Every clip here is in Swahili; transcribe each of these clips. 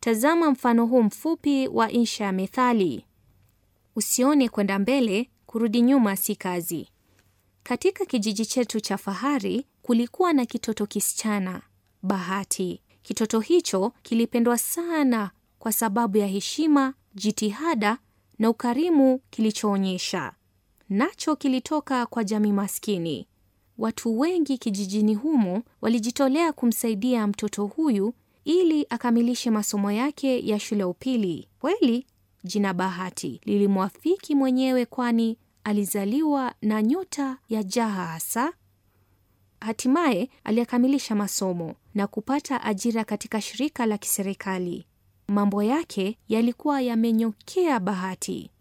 Tazama mfano huu mfupi wa insha ya methali. Usione kwenda mbele, kurudi nyuma si kazi. Katika kijiji chetu cha Fahari kulikuwa na kitoto kisichana, Bahati. Kitoto hicho kilipendwa sana kwa sababu ya heshima, jitihada na ukarimu kilichoonyesha. Nacho kilitoka kwa jamii maskini. Watu wengi kijijini humo walijitolea kumsaidia mtoto huyu ili akamilishe masomo yake ya shule ya upili. Kweli jina Bahati lilimwafiki mwenyewe, kwani alizaliwa na nyota ya jaha hasa. Hatimaye aliyakamilisha masomo na kupata ajira katika shirika la kiserikali. Mambo yake yalikuwa yamenyokea Bahati.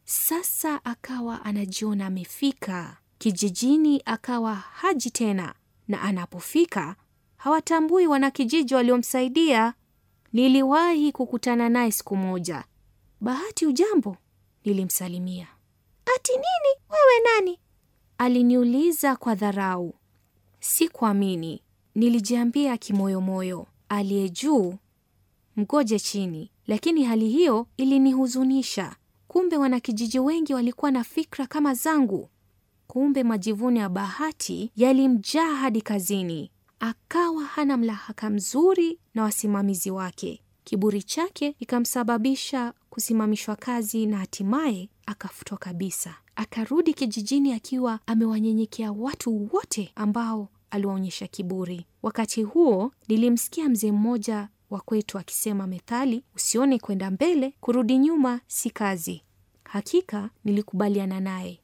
Sasa akawa anajiona amefika kijijini, akawa haji tena, na anapofika hawatambui wanakijiji waliomsaidia. Niliwahi kukutana naye siku moja. Bahati, ujambo? Nilimsalimia. Ati nini? Wewe nani? Aliniuliza kwa dharau. Sikuamini. Nilijiambia kimoyomoyo, aliye juu mgoje chini. Lakini hali hiyo ilinihuzunisha. Kumbe wanakijiji wengi walikuwa na fikra kama zangu. Kumbe majivuno ya Bahati yalimjaa hadi kazini. Akawa hana mlahaka mzuri na wasimamizi wake. Kiburi chake ikamsababisha kusimamishwa kazi na hatimaye akafutwa kabisa. Akarudi kijijini akiwa amewanyenyekea watu wote ambao aliwaonyesha kiburi. Wakati huo nilimsikia mzee mmoja wa kwetu akisema methali, usione kwenda mbele, kurudi nyuma si kazi. Hakika nilikubaliana naye.